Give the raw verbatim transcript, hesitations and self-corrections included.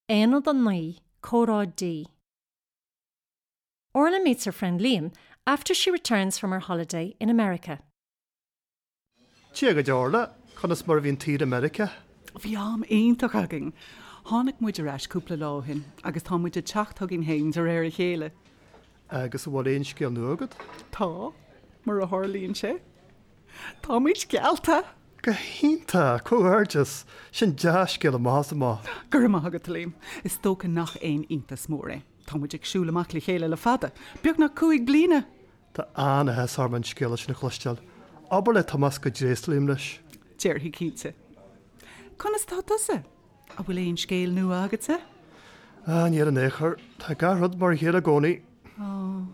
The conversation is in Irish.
Aonad a naoi, Comhrá D. Orla meets her friend Liam after she returns from her holiday in America. Dia dhuit Orla, conas mar a bhí an tsaoire i Meiriceá? Bhí am iontach againn. Tháinig muid ar ais cúpla lá ó shin agus tá muid ag teacht chugainn féin de réir a chéile. Agus an bhfuil aon scéal nua agat? Tá, mar a tharlaíonn sé. Táimid geallta! Go hiontach, comhghairdeas, sin dea-scéal amach is amach. Go raibh maith agat Liam, is dócha nach aon iontas mór é. Tá muid ag siúl amach le chéile le fada, beagnach cúig bliana. Tá an-áthas orm an scéala sin a chloisteáil. Abair le Tomás go dtréaslaím leis. Déarfaidh cinnte. Conas tá tusa? An bhfuil aon scéal nua agatsa? Ah, níl in aon chor, tá gach rud mar a chéile i gcónaí. Ó,